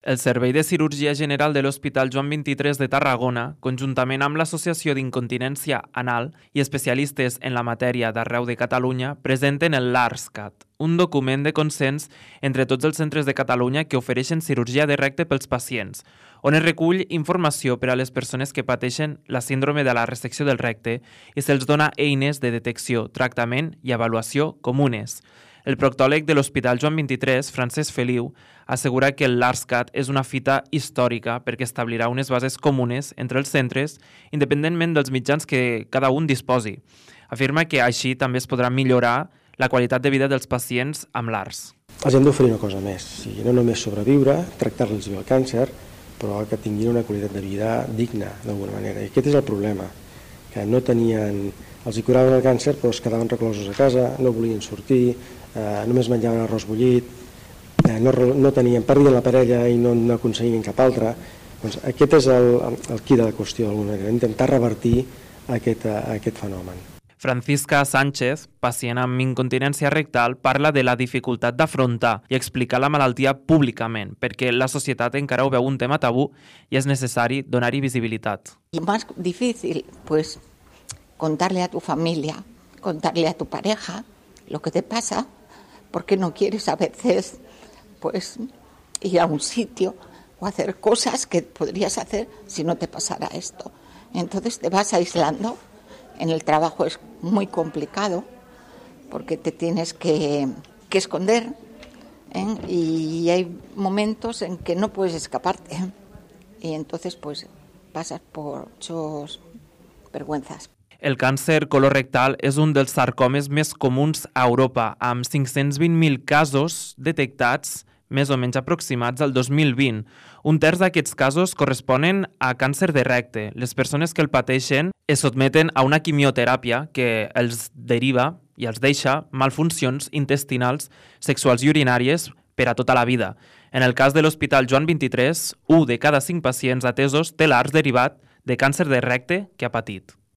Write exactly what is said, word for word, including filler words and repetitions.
El Servei de Cirurgia General de l'Hospital Joan vint-i-tres de Tarragona, conjuntament amb l'Associació d'Incontinència Anal i especialistes en la matèria d'arreu de Catalunya, presenten el LARSCAT, un document de consens entre tots els centres de Catalunya que ofereixen cirurgia de recte pels pacients, on es recull informació per a les persones que pateixen la síndrome de la resecció del recte i se'ls dona eines de detecció, tractament i avaluació comunes. El proctòleg de l'Hospital Joan vint-i-tres, Francesc Feliu, assegura que el LARSCAT és una fita històrica perquè establirà unes bases comunes entre els centres, independentment dels mitjans que cada un disposi. Afirma que així també es podrà millorar la qualitat de vida dels pacients amb l'ARS. Els hem d'oferir una cosa més, o sigui, no només sobreviure, tractar-los bé el càncer, però que tinguin una qualitat de vida digna, d'alguna manera. I aquest és el problema, que no tenien... Els hi curaven el càncer, però es quedaven reclosos a casa, no volien sortir, eh, només menjaven arròs bullit, eh, no, no tenien, perdien la parella i no, no aconseguien cap altra. Doncs aquest és el, el qui de la qüestió, d'alguna manera, intentar revertir aquest, aquest fenomen. Francisca Sánchez, pacient amb incontinència rectal, parla de la dificultat d'afrontar i explicar la malaltia públicament, perquè la societat encara ho veu un tema tabú i és necessari donar-hi visibilitat. I més difícil, pues, contarle a tu familia, contarle a tu pareja lo que te pasa, porque no quieres a veces pues, ir a un sitio o hacer cosas que podrías hacer si no te pasara esto. Entonces te vas aislando. En el trabajo es muy complicado porque te tienes que, que esconder, ¿eh? Y hay momentos en que no puedes escaparte, ¿eh? Y entonces pues pasas por muchas vergüenzas. El càncer colorectal és un dels sarcomes més comuns a Europa, amb cinc-cents vint mil casos detectats, més o menys aproximats al dos mil vint. Un terç d'aquests casos corresponen a càncer de recte. Les persones que el pateixen es sotmeten a una quimioteràpia que els deriva i els deixa malfuncions intestinals, sexuals i urinàries per a tota la vida. En el cas de l'Hospital Joan vint-i-tres, un de cada cinc pacients atesos té l'ARS derivat de càncer de recte que ha patit.